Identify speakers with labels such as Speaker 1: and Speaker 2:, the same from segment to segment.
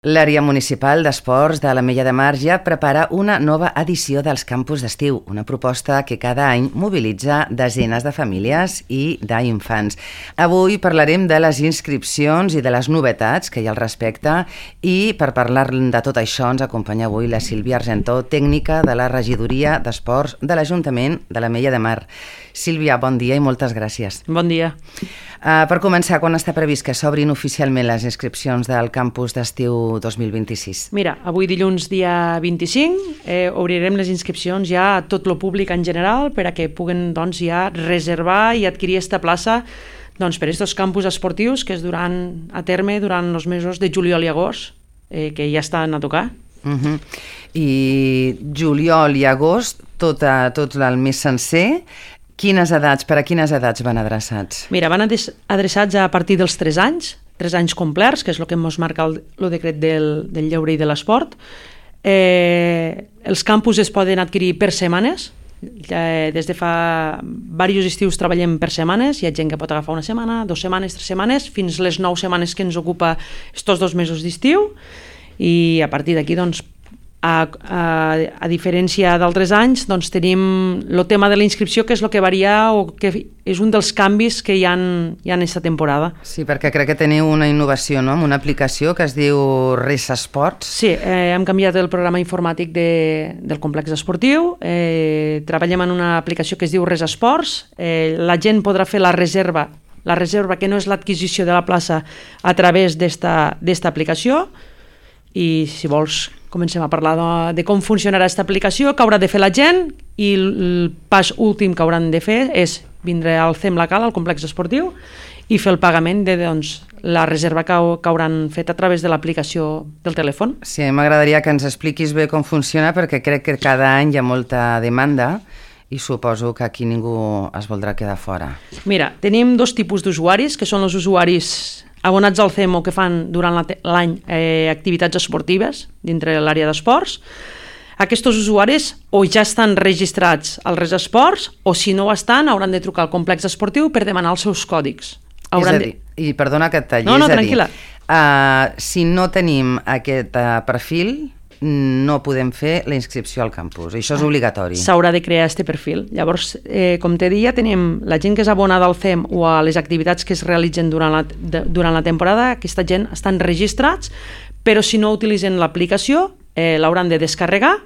Speaker 1: L'àrea municipal d'esports de l'Ametlla de Mar ja prepara una nova edició dels campus d'estiu, una proposta que cada any mobilitza desenes de famílies i d'infants. Avui parlarem de les inscripcions i de les novetats que hi ha al respecte i per parlar de tot això ens acompanya avui la Sílvia Argentó, tècnica de la Regidoria d'Esports de l'Ajuntament de l'Ametlla de Mar. Sílvia, bon dia i moltes gràcies.
Speaker 2: Bon dia.
Speaker 1: Per començar, quan està previst que s'obrin oficialment les inscripcions del campus d'estiu 2026?
Speaker 2: Mira, avui dilluns dia 25 obrirem les inscripcions ja a tot el públic en general per a que puguen ja reservar i adquirir aquesta plaça per aquests campus esportius que es duran a terme durant els mesos de juliol i agost, que ja estan a tocar.
Speaker 1: I juliol i agost, tot el mes sencer. Per a quines edats van adreçats?
Speaker 2: Mira, van adreçats a partir dels 3 anys, 3 anys complerts, que és el que ens marca el decret del lleure i de l'esport. Els campus es poden adquirir per setmanes. Des de fa diversos estius treballem per setmanes. Hi ha gent que pot agafar una setmana, 2 setmanes, 3 setmanes, fins les 9 setmanes que ens ocupa estos 2 mesos d'estiu. I a partir d'aquí, a diferència d'altres anys, tenim el tema de la inscripció, que és el que varia o que és un dels canvis que hi ha aquesta temporada.
Speaker 1: Sí, perquè crec que teniu una innovació, no?, amb una aplicació que es diu Res Esports.
Speaker 2: Sí, hem canviat el programa informàtic del complex esportiu, treballem en una aplicació que es diu Res Esports, la gent podrà fer la reserva que no és l'adquisició de la plaça a través d'esta aplicació. I si vols comencem a parlar de com funcionarà aquesta aplicació, què haurà de fer la gent, i el pas últim que hauran de fer és vindre al CEM local, al complex esportiu, i fer el pagament de la reserva que hauran fet a través de l'aplicació del telèfon.
Speaker 1: Sí, m'agradaria que ens expliquis bé com funciona, perquè crec que cada any hi ha molta demanda i suposo que aquí ningú es voldrà quedar fora.
Speaker 2: Mira, tenim 2 tipus d'usuaris, que són els usuaris abonats al CEM o que fan durant l'any activitats esportives dintre l'àrea d'esports. Aquests usuaris o ja estan registrats al Res Esports o si no ho estan hauran de trucar al complex esportiu per demanar els seus còdigs.
Speaker 1: I perdona que et talli,
Speaker 2: tranquil·la.
Speaker 1: Si no tenim aquest perfil, no podem fer la inscripció al campus. Això és obligatori.
Speaker 2: S'haurà de crear aquest perfil. Llavors, com te deia, tenim la gent que és abonada al CEM o a les activitats que es realitzen durant la temporada. Aquesta gent estan registrats, però si no utilitzen l'aplicació, l'hauran de descarregar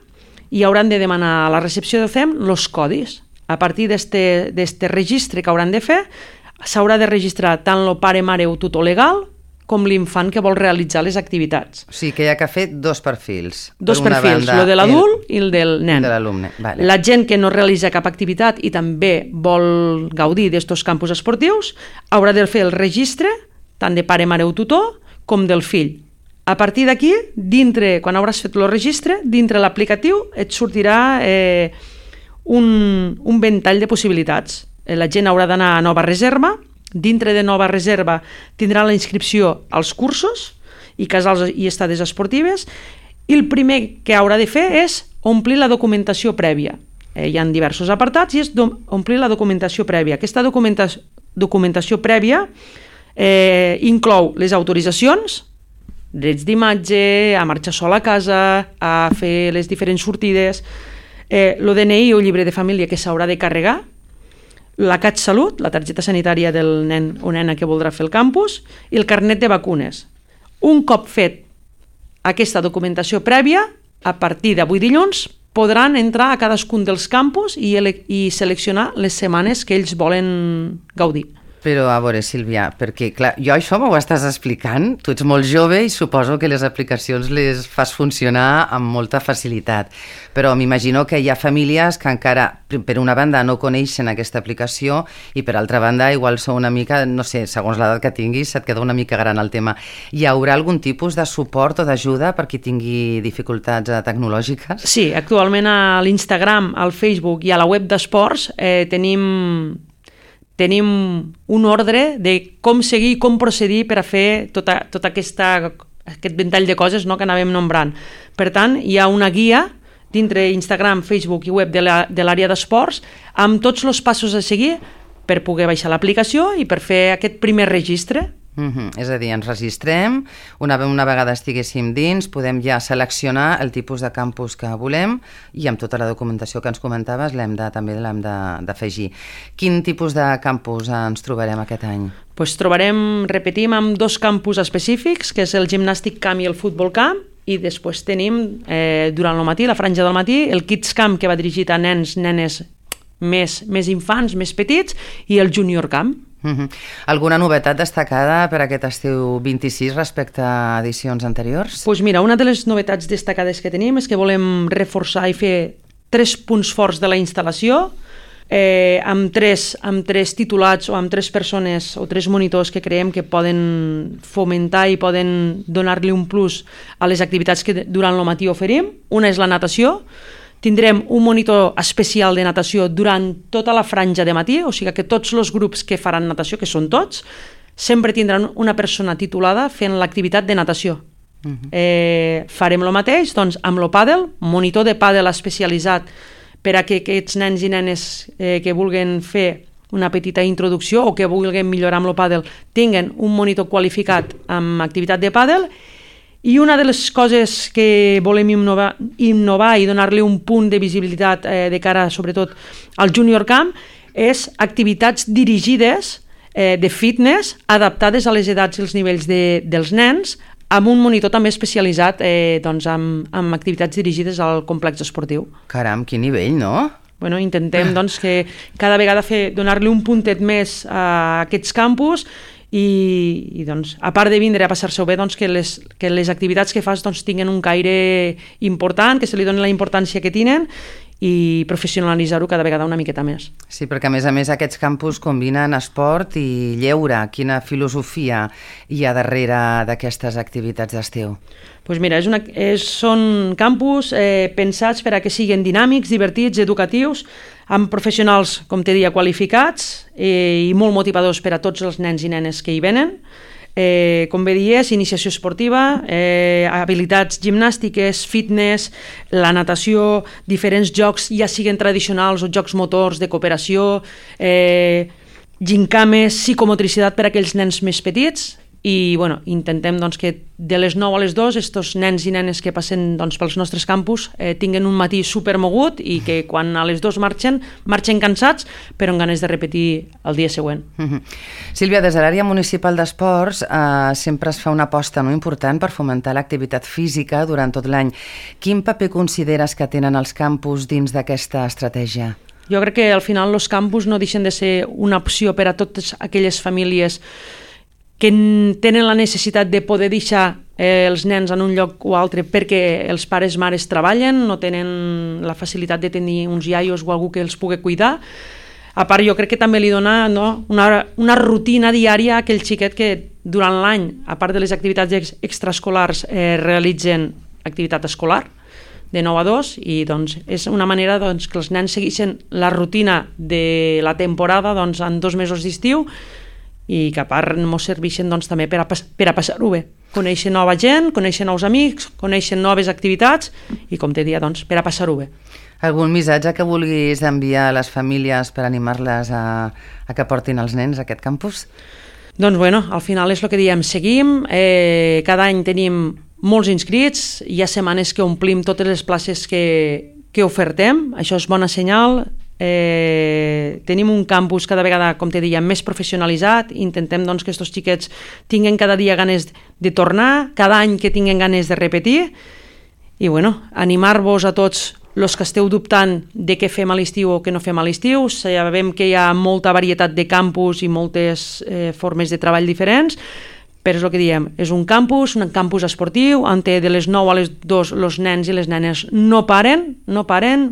Speaker 2: i hauran de demanar a la recepció del CEM els codis. A partir d'aquest registre que hauran de fer, s'haurà de registrar tant el pare-mare o tutor legal com l'infant que vol realitzar les activitats.
Speaker 1: O sigui que hi ha que fer 2 perfils.
Speaker 2: 2 perfils, el de l'adult i el del nen.
Speaker 1: De l'alumne, vale.
Speaker 2: La gent que no realitza cap activitat i també vol gaudir d'estos campus esportius haurà de fer el registre tant de pare, mare o tutor com del fill. A partir d'aquí, quan hauràs fet el registre, dintre l'aplicatiu et sortirà un ventall de possibilitats. La gent haurà d'anar a nova reserva. Dintre de nova reserva tindrà la inscripció als cursos i casals i estades esportives, i el primer que haurà de fer és omplir la documentació prèvia. Hi ha diversos apartats i és omplir la documentació prèvia. Aquesta documentació prèvia inclou les autoritzacions, drets d'imatge, a marxar sol a casa, a fer les diferents sortides, el DNI o llibre de família que s'haurà de carregar, la CatSalut, la targeta sanitària del nen o nena que voldrà fer el campus, i el carnet de vacunes. Un cop fet aquesta documentació prèvia, a partir d'avui dilluns, podran entrar a cadascun dels campus i seleccionar les setmanes que ells volen gaudir.
Speaker 1: Però, a veure, Sílvia, perquè, clar, jo això m'ho estàs explicant, tu ets molt jove i suposo que les aplicacions les fas funcionar amb molta facilitat, però m'imagino que hi ha famílies que encara, per una banda, no coneixen aquesta aplicació i, per altra banda, igual sou una mica, no sé, segons l'edat que tinguis, et queda una mica gran el tema. Hi haurà algun tipus de suport o d'ajuda per qui tingui dificultats tecnològiques?
Speaker 2: Sí, actualment a l'Instagram, al Facebook i a la web d'esports tenim un ordre de com seguir i com procedir per a fer tot aquest ventall de coses que anàvem nombrant. Per tant, hi ha una guia dintre Instagram, Facebook i web de l'àrea d'esports amb tots els passos a seguir per poder baixar l'aplicació i per fer aquest primer registre.
Speaker 1: És a dir, ens registrem, una vegada estiguéssim dins, podem ja seleccionar el tipus de campus que volem i amb tota la documentació que ens comentaves també l'hem d'afegir. Quin tipus de campus ens trobarem aquest any?
Speaker 2: Repetim, amb 2 campus específics, que és el gimnàstic camp i el futbol camp, i després tenim, durant el matí, la franja del matí, el Kids Camp, que va dirigit a nens, nenes més infants, més petits, i el Junior Camp.
Speaker 1: Alguna novetat destacada per aquest estiu 26 respecte a edicions anteriors?
Speaker 2: Doncs mira, una de les novetats destacades que tenim és que volem reforçar i fer 3 punts forts de la instal·lació, amb tres titulats o amb 3 persones o 3 monitors que creiem que poden fomentar i poden donar-li un plus a les activitats que durant el matí oferim. Una és la natació. Tindrem un monitor especial de natació durant tota la franja de matí, o sigui que tots els grups que faran natació, que són tots, sempre tindran una persona titulada fent l'activitat de natació. Farem el mateix doncs, amb el pàdel, monitor de pàdel especialitzat per a que aquests nens i nenes que vulguin fer una petita introducció o que vulguin millorar amb el pàdel tinguen un monitor qualificat amb activitat de pàdel. I una de les coses que volem innovar i donar-li un punt de visibilitat de cara, sobretot, al Junior Camp, és activitats dirigides de fitness adaptades a les edats i els nivells dels nens, amb un monitor també especialitzat amb activitats dirigides al complex esportiu.
Speaker 1: Caram, quin nivell, no?
Speaker 2: Intentem que cada vegada donar-li un puntet més a aquests campus i a part de vindre a passar-se-ho bé, que les activitats que fas tinguin un caire important, que se li doni la importància que tenen i professionalitzar-ho cada vegada una miqueta més.
Speaker 1: Sí, perquè a més aquests campus combinen esport i lleure. Quina filosofia hi ha darrere d'aquestes activitats d'estiu?
Speaker 2: Doncs mira, són campus pensats per a que siguin dinàmics, divertits, educatius, amb professionals, com te deia, qualificats i molt motivadors per a tots els nens i nenes que hi venen. Com bé dies, iniciació esportiva, habilitats gimnàstiques, fitness, la natació, diferents jocs, ja siguin tradicionals o jocs motors de cooperació, gincames, psicomotricitat per a aquells nens més petits. I intentem que de les 9 a les 2 estos nens i nenes que passen pels nostres campus tinguen un matí supermogut i que quan a les 2 marxen cansats però amb ganes de repetir el dia següent.
Speaker 1: Sílvia, des de l'àrea municipal d'esports sempre es fa una aposta important per fomentar l'activitat física durant tot l'any. Quin paper consideres que tenen els campus dins d'aquesta estratègia?
Speaker 2: Jo crec que al final els campus no deixen de ser una opció per a totes aquelles famílies que tenen la necessitat de poder deixar els nens en un lloc o altre perquè els pares i mares treballen, no tenen la facilitat de tenir uns iaios o algú que els pugui cuidar. A part, jo crec que també li dona una rutina diària a aquell xiquet que durant l'any, a part de les activitats extraescolars, realitzen activitat escolar de 9 a 2 i és una manera que els nens segueixen la rutina de la temporada en 2 mesos d'estiu i que a part ens serveixen també per a passar-ho bé. Conèixer nova gent, conèixer nous amics, conèixer noves activitats i, com te deia, per a passar-ho bé.
Speaker 1: Algun missatge que vulguis enviar a les famílies per animar-les a que portin els nens a aquest campus?
Speaker 2: Al final és el que diem, seguim, cada any tenim molts inscrits, hi ha setmanes que omplim totes les places que ofertem, això és bona senyal. Tenim un campus cada vegada, com te deia, més professionalitzat, intentem que aquests xiquets tinguen cada dia ganes de tornar, cada any que tinguen ganes de repetir i animar-vos a tots els que esteu dubtant de què fem a l'estiu o què no fem a l'estiu. Sabem que hi ha molta varietat de campus i moltes formes de treball diferents, però és el que diem, és un campus esportiu, on de les 9 a les 2 els nens i les nenes no paren,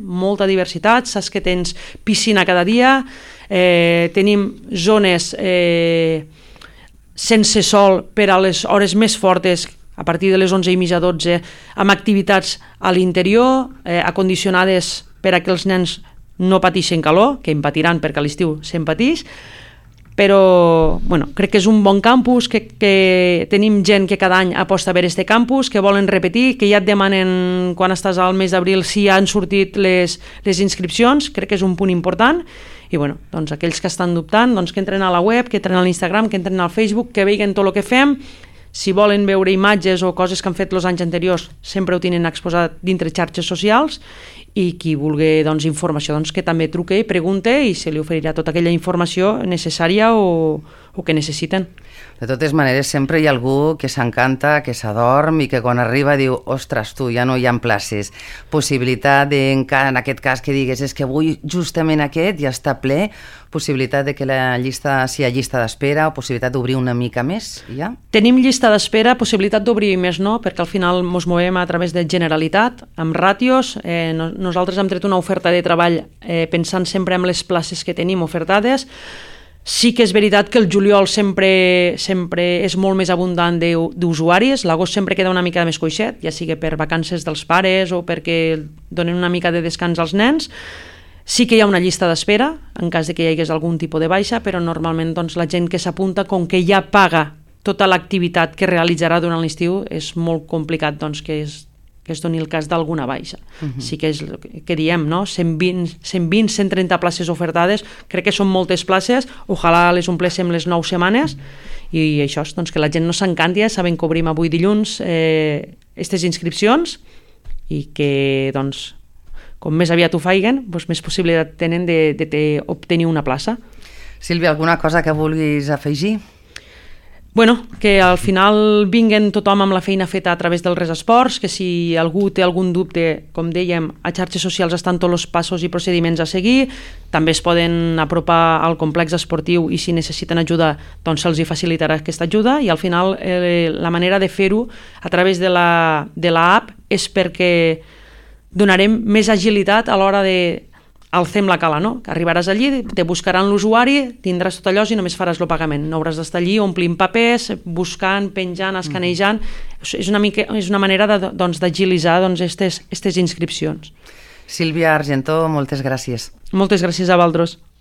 Speaker 2: molta diversitat, saps que tens piscina cada dia, tenim zones sense sol per a les hores més fortes, a partir de les 11:30 a 12, amb activitats a l'interior, acondicionades per a que els nens no pateixen calor, que en patiran perquè a l'estiu se'n pateix, però bueno, crec que és un bon campus, que tenim gent que cada any aposta per este campus, que volen repetir, que ja et demanen quan estàs al mes d'abril si han sortit les inscripcions, crec que és un punt important, i bueno, doncs aquells que estan dubtant, doncs que entren a la web, que entren a l'Instagram, que entren al Facebook, que vegin tot el que fem. Si volen veure imatges o coses que han fet els anys anteriors, sempre ho tenen exposat dintre xarxes socials, i qui vulgui doncs, informació, doncs, que també truque i pregunte i se li oferirà tota aquella informació necessària o que necessiten.
Speaker 1: De totes maneres, sempre hi ha algú que s'encanta, que s'adorm i que quan arriba diu, ostres, tu, ja no hi ha places. Possibilitat en aquest cas que digues, és que avui justament aquest ja està ple, possibilitat de que la llista, si hi ha llista d'espera, o possibilitat d'obrir una mica més, ja?
Speaker 2: Tenim llista d'espera, possibilitat d'obrir més no, perquè al final ens movem a través de Generalitat, amb ràtios. Nosaltres hem tret una oferta de treball pensant sempre en les places que tenim ofertades. Sí que és veritat que el juliol sempre és molt més abundant d'usuaris, l'agost sempre queda una mica més coixet, ja sigui per vacances dels pares o perquè donen una mica de descans als nens. Sí que hi ha una llista d'espera, en cas de que hi hagués algun tipus de baixa, però normalment doncs, la gent que s'apunta, com que ja paga tota l'activitat que realitzarà durant l'estiu, és molt complicat doncs, que es doni el cas d'alguna baixa. Sí que és el que diem, no? 120, 130 places ofertades, crec que són moltes places, ojalà les ompléssim les 9 setmanes, i això és doncs, que la gent no s'encanti, saben que obrim avui dilluns aquestes inscripcions, i que doncs, com més aviat ho faiguen, doncs més possibilitat tenen d'obtenir una plaça.
Speaker 1: Sílvia, alguna cosa que vulguis afegir?
Speaker 2: Bueno, que al final vinguen tothom amb la feina feta a través del Res Esports, que si algú té algun dubte, com dèiem, a xarxes socials estan tots els passos i procediments a seguir, també es poden apropar al complex esportiu i si necessiten ajuda, doncs se'ls hi facilitarà aquesta ajuda, i al final la manera de fer-ho a través de l'app és perquè donarem més agilitat a l'hora de alcem la cala, no? Que arribaràs allí, te buscaran l'usuari, tindràs tot allò i només faràs el pagament. No hauràs d'estar allí omplint papers, buscant, penjant, escanejant. És una manera d'agilitzar aquestes inscripcions.
Speaker 1: Sílvia Argentó, moltes gràcies.
Speaker 2: Moltes gràcies a vosaltres.